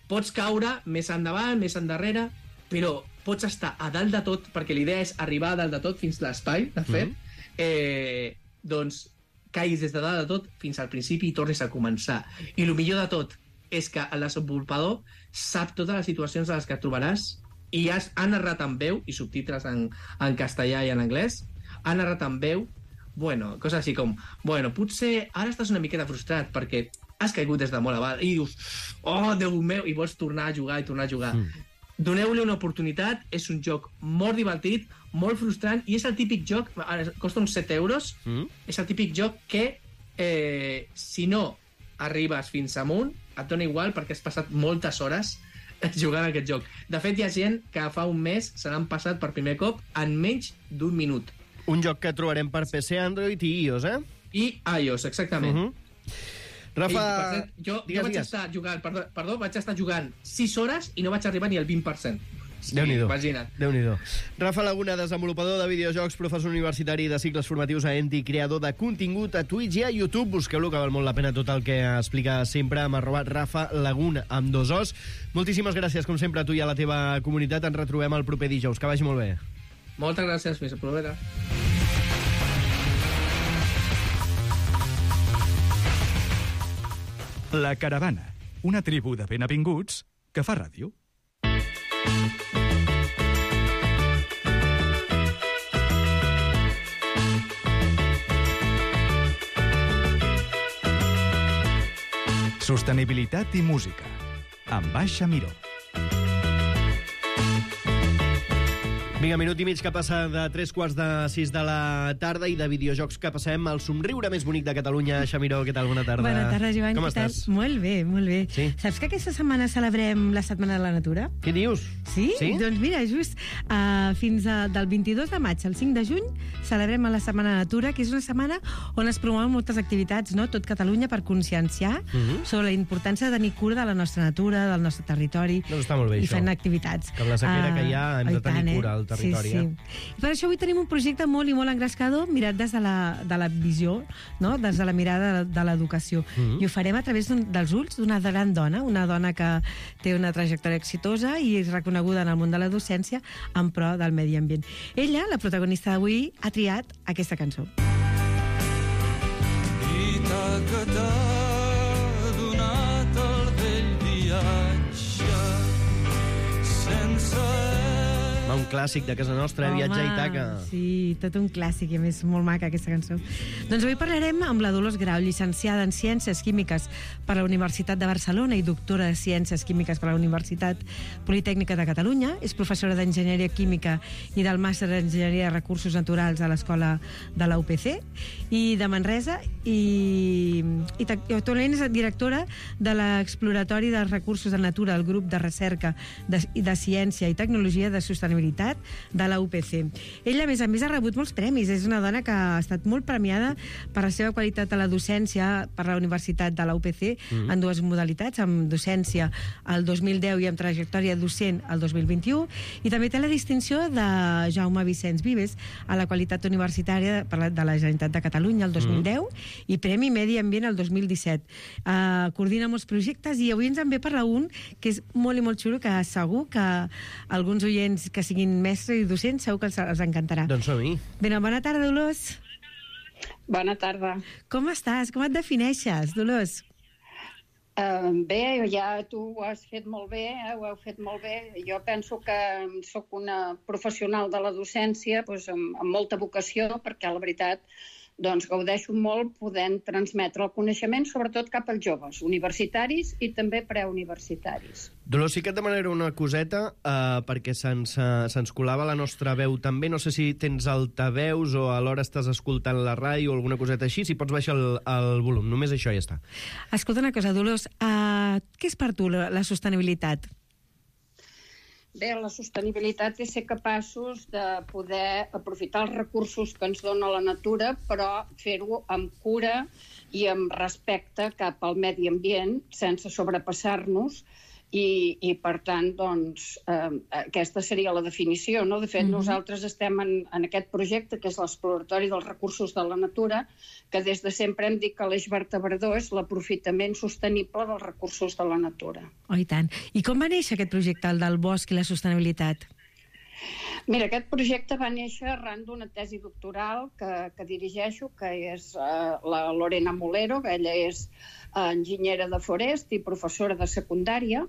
Pots caure més endavant, més endarrere, però pots estar a dalt de tot, perquè l'idea és arribar a dalt de tot fins l'espai, de fet, mm. eh, doncs caiguis des de dalt de tot fins al principi i tornis a començar. I el millor de tot és que el desenvolupador sap totes les situacions en les que et trobaràs i has, ha narrat en veu i subtítols en, en castellà i en anglès, ha narrat en veu, bueno, coses així com, bueno, potser ara estàs una miqueta frustrat perquè has caigut des de molt avall i dius, oh, Déu meu, i vols tornar a jugar i tornar a jugar. Mm. Doneu-li una oportunitat, és un joc molt divertit, molt frustrant, i és el típic joc, costa uns set euros, mm. és el típic joc que, eh, si no arribes fins amunt, et dona igual perquè has passat moltes hores jugant a aquest joc. De fet, hi ha gent que fa un mes se l'han passat per primer cop en menys d'un minut.
Un joc que trobarem per P C, Android i iOS, eh?
I iOS, exactament. Uh -huh.
Rafa...
I, cert, jo,
digues,
jo vaig
digues.
estar jugant, perdó, perdó, vaig estar jugant sis hores i no vaig arribar ni al vint per cent. Sí,
Déu-n'hi-do.
Imagina't.
Déu-n'hi-do. Rafa Laguna, desenvolupador de videojocs, professor universitari de cicles formatius a Enti, creador de contingut a Twitch i a YouTube. Busqueu-lo, que val molt la pena tot el que explica sempre amb arroba Rafa Laguna, amb dos os. Moltíssimes gràcies, com sempre, a tu i a la teva comunitat. Ens retrobem el proper dijous. Que vagi molt bé.
Moltes gràcies, fins la propera.
La Caravana, una tribu de ben avinguts que fa ràdio. Sostenibilitat i música, amb Baixa Miró.
Vinga, minut i mig que passa de tres quarts de sis de la tarda i de videojocs que passem al somriure més bonic de Catalunya. Xamiró, què tal? Bona tarda.
Bona tarda, Joan.
Com
què
estàs?
Tal? Molt bé, molt bé.
Sí?
Saps que aquesta setmana celebrem la Setmana de la Natura?
Què dius?
Sí?
Sí?
Doncs mira, just uh, fins a, del vint-i-dos de maig al cinc de juny celebrem la Setmana de la Natura, que és una setmana on es promouen moltes activitats, no? Tot Catalunya, per conscienciar uh -huh. sobre la importància de tenir cura de la nostra natura, del nostre territori.
Doncs està molt bé,
i
això.
fent activitats.
Que amb la sequera uh, que hi ha hem de tenir
tant,
cura, el territori.
Sí, sí.
Eh?
I per això avui tenim un projecte molt i molt engrescador mirat des de la, de la visió, no? Des de la mirada de, de l'educació. Mm-hmm. I ho farem a través dels ulls d'una gran dona, una dona que té una trajectòria exitosa i és reconeguda en el món de la docència en pro del medi ambient. Ella, la protagonista d'avui, ha triat aquesta cançó.
Dita que t'ha donat el vell viatge sense...
Un clàssic de casa nostra,
Home,
Viatge a Ítaca.
Sí, tot un clàssic, i a més molt maca aquesta cançó. Doncs avui parlarem amb la Dolors Grau, llicenciada en Ciències Químiques per la Universitat de Barcelona i doctora de Ciències Químiques per la Universitat Politècnica de Catalunya. És professora d'Enginyeria Química i del Màster d'Enginyeria de Recursos Naturals a l'Escola de la U P C i de Manresa, i, i, i actualment és directora de l'Exploratori dels Recursos de Natura, el grup de recerca de, de Ciència i Tecnologia de Sostenibilitat de la U P C. Ella, a més a més, ha rebut molts premis. És una dona que ha estat molt premiada per la seva qualitat a la docència per la Universitat de la U P C mm-hmm. en dues modalitats, amb docència el dos mil deu i amb trajectòria docent el dos mil vint-i-u, i també té la distinció de Jaume Vicenç Vives a la qualitat universitària de la Generalitat de Catalunya el dos mil deu mm-hmm. i Premi Medi Ambient el dos mil disset. Uh, coordina molts projectes i avui ens en ve parlar un que és molt i molt xulo, que segur que alguns oients que siguin mestres i docents segur que els, els encantarà.
Doncs som-hi.
Ben, bona tarda, Dolors.
Bona tarda.
Com estàs? Com et defineixes, Dolors?
Uh, bé, ja tu ho has fet molt bé, eh? Ho heu fet molt bé. Jo penso que sóc una professional de la docència doncs, amb, amb molta vocació, perquè la veritat doncs, gaudeixo molt podent transmetre el coneixement, sobretot cap als joves, universitaris i també preuniversitaris.
Dolors, sí que et demanaré una coseta, eh, perquè se'ns uh, se'ns colava la nostra veu també. No sé si tens altaveus o alhora estàs escoltant la ràdio o alguna coseta així, si pots baixar el, el volum. Només això ja està.
Escolta una cosa, Dolors, uh, què és per tu la, la sostenibilitat?
Bé, la sostenibilitat és ser capaços de poder aprofitar els recursos que ens dona la natura, però fer-ho amb cura i amb respecte cap al medi ambient, sense sobrepassar-nos, i, i per tant, doncs, eh, aquesta seria la definició, no? De fet, mm-hmm. nosaltres estem en, en aquest projecte, que és l'Exploratori dels Recursos de la Natura, que des de sempre hem dit que l'eix vertebrador és l'aprofitament sostenible dels recursos de la natura.
Oh, i tant. I com va néixer aquest projecte, el del bosc i la sostenibilitat?
Mira, aquest projecte va néixer arran d'una tesi doctoral que, que dirigeixo, que és uh, la Lorena Molero, que ella és uh, enginyera de forest i professora de secundària,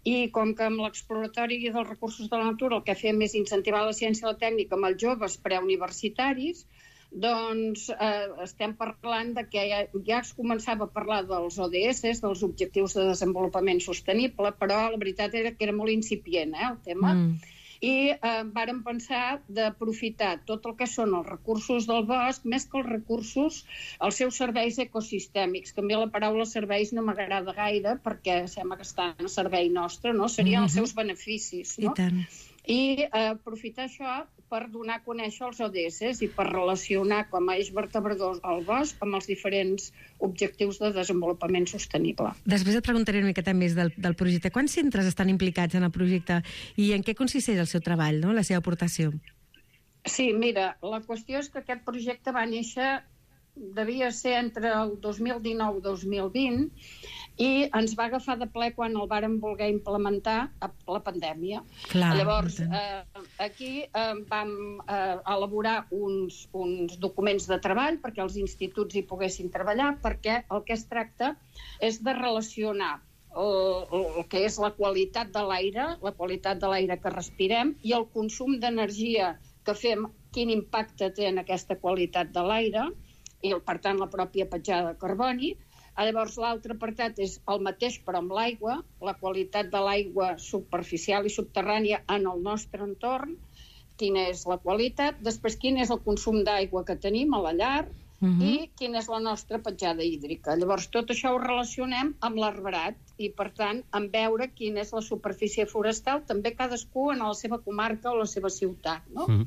i com que amb l'Exploratori dels Recursos de la Natura el que fem és incentivar la ciència i la tècnica amb els joves preuniversitaris, doncs eh, estem parlant de que ja, ja es començava a parlar dels O D S, dels Objectius de Desenvolupament Sostenible, però la veritat era que era molt incipient, eh, el tema. Mm. I eh, vàrem pensar d'aprofitar tot el que són els recursos del bosc, més que els recursos, els seus serveis ecosistèmics. Que a mi la paraula serveis no m'agrada gaire, perquè sembla que estan a servei nostre, no? Serien mm-hmm. els seus beneficis, no?
I tant.
I eh, aprofitar això per donar a conèixer els O D S i per relacionar com a eix vertebrador el bosc amb els diferents objectius de desenvolupament sostenible.
Després et preguntaré una miqueta més del, del projecte. Quants centres estan implicats en el projecte i en què consisteix el seu treball, no? La seva aportació?
Sí, mira, la qüestió és que aquest projecte va néixer, devia ser entre el dos mil dinou i dos mil vint, i ens va agafar de ple quan el vàrem voler implementar a la pandèmia.
Clar,
llavors, eh, aquí eh, vam eh, elaborar uns, uns documents de treball perquè els instituts hi poguessin treballar, perquè el que es tracta és de relacionar el, el que és la qualitat de l'aire, la qualitat de l'aire que respirem, i el consum d'energia que fem, quin impacte té en aquesta qualitat de l'aire, i per tant la pròpia petjada de carboni. Llavors l'altre apartat és el mateix però amb l'aigua, la qualitat de l'aigua superficial i subterrània en el nostre entorn, quina és la qualitat, després quin és el consum d'aigua que tenim a la llar, uh-huh. i quina és la nostra petjada hídrica. Llavors tot això ho relacionem amb l'arbrat i per tant en veure quina és la superfície forestal, també cadascú en la seva comarca o la seva ciutat, no? Uh-huh.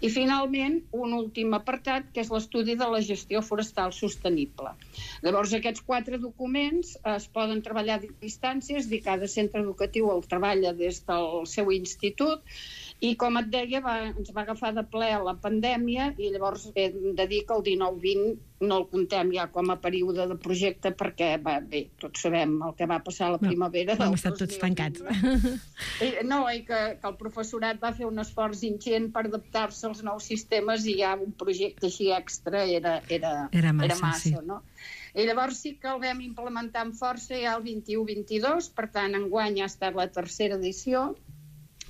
I finalment un últim apartat que és l'estudi de la gestió forestal sostenible. Llavors aquests quatre documents es poden treballar a distàncies i cada centre educatiu el treballa des del seu institut, I, com et deia, va, ens va agafar de ple la pandèmia i llavors hem de dir que el dinou vint no el contem ja com a període de projecte perquè, va, bé, tots sabem el que va passar a la primavera.
No, hem estat tots tancats.
I, no, i que, que el professorat va fer un esforç ingent per adaptar-se als nous sistemes i ja un projecte així extra era, era,
era massa,
era massa
sí.
no? I llavors sí que el vam implementar amb força ja el vint-i-u vint-i-dos, per tant, enguany ha estat la tercera edició,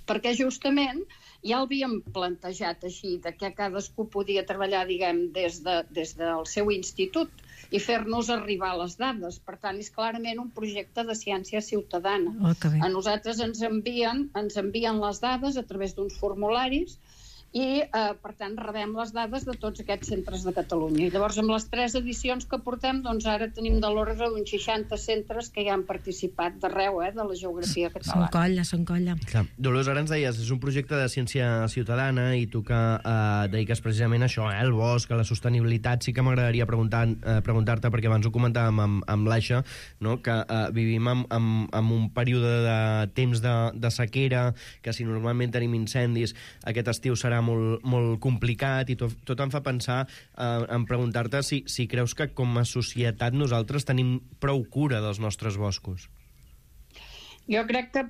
perquè justament ja l'havíem plantejat així, de que cadascú podia treballar, diguem, des, de, des del seu institut i fer-nos arribar les dades. Per tant, és clarament un projecte de ciència ciutadana.
Oh,
a nosaltres ens envien, ens envien les dades a través d'uns formularis i, eh, per tant, rebem les dades de tots aquests centres de Catalunya. I llavors, amb les tres edicions que portem, doncs ara tenim de l'ordre d'uns seixanta centres que ja han participat d'arreu, eh, de la geografia catalana.
Són colla, són colla.
Clar. Dolors, ara ens deies, és un projecte de ciència ciutadana i tu que eh, dediques precisament a això, eh, el bosc, a la sostenibilitat. Sí que m'agradaria preguntar, eh, preguntar-te, perquè abans ho comentàvem amb, amb l'Aixa, no? que eh, vivim en, en, en un període de temps de, de sequera, que si normalment tenim incendis, aquest estiu serà molt, molt complicat i tot, tot em fa pensar eh, en preguntar-te si, si creus que com a societat nosaltres tenim prou cura dels nostres boscos.
Jo crec que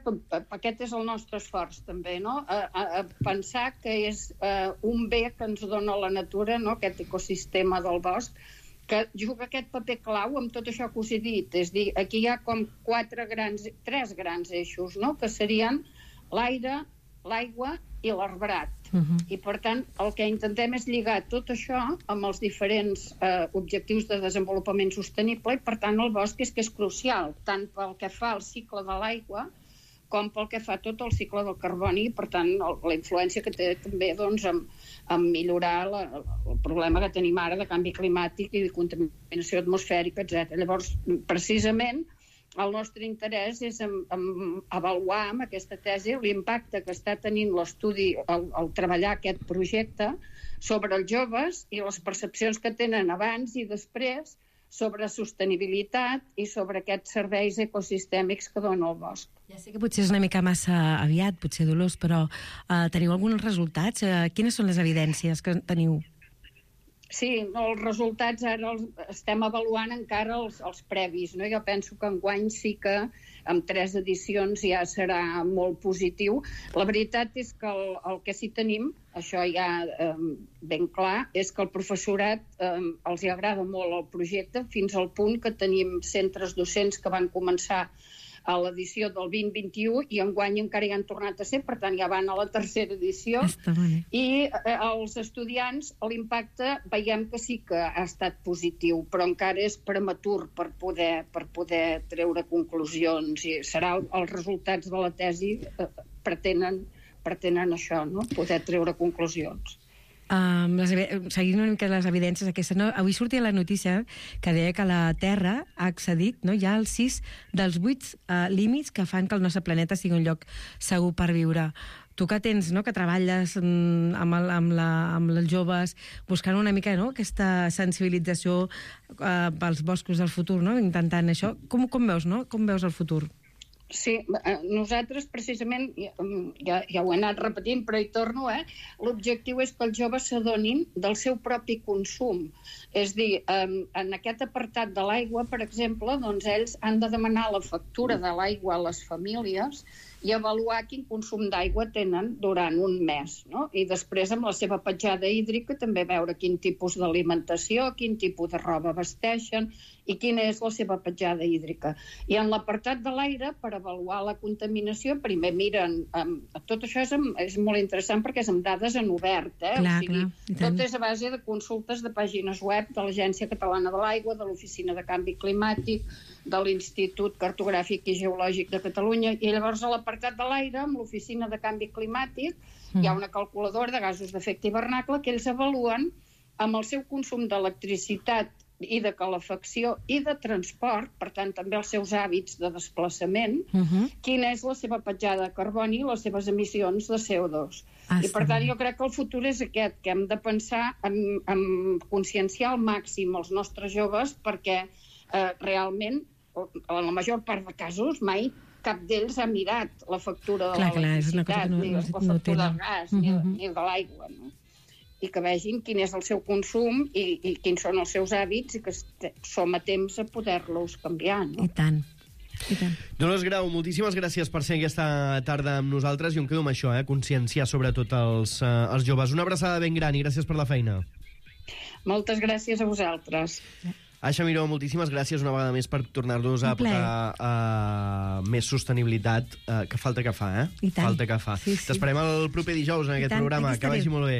aquest és el nostre esforç, també, no? A, a, a pensar que és uh, un bé que ens dona la natura, no? Aquest ecosistema del bosc, que juga aquest paper clau amb tot això que us he dit. És dir, aquí hi ha com quatre grans, tres grans eixos, no? Que serien l'aire, l'aigua i l'arbrat. Uh-huh. I, per tant, el que intentem és lligar tot això amb els diferents eh, objectius de desenvolupament sostenible i, per tant, el bosc és que és crucial, tant pel que fa al cicle de l'aigua com pel que fa tot el cicle del carboni i, per tant, el, la influència que té també doncs, en, en millorar la, el problema que tenim ara de canvi climàtic i de contaminació atmosfèrica, etcètera. Llavors, precisament, el nostre interès és en, en avaluar amb aquesta tesi l'impacte que està tenint l'estudi al, al treballar aquest projecte sobre els joves i les percepcions que tenen abans i després sobre sostenibilitat i sobre aquests serveis ecosistèmics que dona el bosc.
Ja sé que potser és una mica massa aviat, potser, Dolors, però uh, teniu alguns resultats? Uh, quines són les evidències que teniu?
Sí, no, els resultats ara els estem avaluant encara els, els previs, no? Jo penso que enguany sí que amb tres edicions ja serà molt positiu. La veritat és que el, el que sí tenim, això ja eh, ben clar, és que el professorat eh, els hi agrada molt el projecte, fins al punt que tenim centres docents que van començar a l'edició del vint vint-i-u i enguany encara hi han tornat a ser, per tant ja van a la tercera edició. I eh, els estudiants, l'impacte veiem que sí que ha estat positiu, però encara és prematur per poder, per poder treure conclusions i serà el, els resultats de la tesi eh, pretenen, pretenen això, no? Poder treure conclusions.
Um, les, seguint una mica les evidències aquestes, no? Avui sortia la notícia que deia que la Terra ha accedit, no? Ja als sis dels vuit uh, límits que fan que el nostre planeta sigui un lloc segur per viure. Tu que tens, no? Que treballes mm, amb, el, amb, la, amb els joves, buscant una mica, no? Aquesta sensibilització uh, pels boscos del futur, no? Intentant això. Com, com veus, no? Com veus el futur?
Sí, nosaltres precisament, ja, ja ho he anat repetint, però hi torno, eh? L'objectiu és que els joves s'adonin del seu propi consum. És dir, en aquest apartat de l'aigua, per exemple, doncs ells han de demanar la factura de l'aigua a les famílies i avaluar quin consum d'aigua tenen durant un mes, no? I després, amb la seva petjada hídrica, també veure quin tipus d'alimentació, quin tipus de roba vesteixen i quina és la seva petjada hídrica. I en l'apartat de l'aire, per avaluar la contaminació, primer miren... Um, tot això és, és molt interessant perquè és amb dades en obert, eh?
Clar,
o sigui,
clar,
tot és a base de consultes de pàgines web de l'Agència Catalana de l'Aigua, de l'Oficina de Canvi Climàtic, de l'Institut Cartogràfic i Geològic de Catalunya, i llavors a l'apartat de l'aire, amb l'Oficina de Canvi Climàtic, mm. hi ha una calculadora de gasos d'efecte hivernacle que ells avaluen amb el seu consum d'electricitat i de calefacció i de transport, per tant també els seus hàbits de desplaçament, uh-huh. quina és la seva petjada de carboni i les seves emissions de C O dos. Ah, I per tant jo crec que el futur és aquest, que hem de pensar en, en conscienciar al màxim els nostres joves perquè eh, realment, en la major part de casos, mai cap d'ells ha mirat la factura de
Clar, clar, és una cosa
l'electricitat,
que no-
ni
no-
la
no
factura
tenen.
del gas, ni,
Mhm.
ni de l'aigua, no? I que vegin quin és el seu consum i, i quins són els seus hàbits i que est- som a temps a poder-los canviar, no?
I tant. I tant.
Dolors Grau, moltíssimes gràcies per ser aquesta tarda amb nosaltres i em quedo amb això, eh? conscienciar sobretot els, eh, els joves. Una abraçada ben gran i gràcies per la feina.
Moltes gràcies a vosaltres.
Aixa Miró, moltíssimes gràcies una vegada més per tornar-nos a
Un plaer.
portar uh, més sostenibilitat, uh, que falta que fa, eh?
I tant.
Falta que fa.
Sí, sí.
T'esperem el proper dijous en
I
aquest
tant,
programa.
aquí
Que vagi
estaré.
molt bé.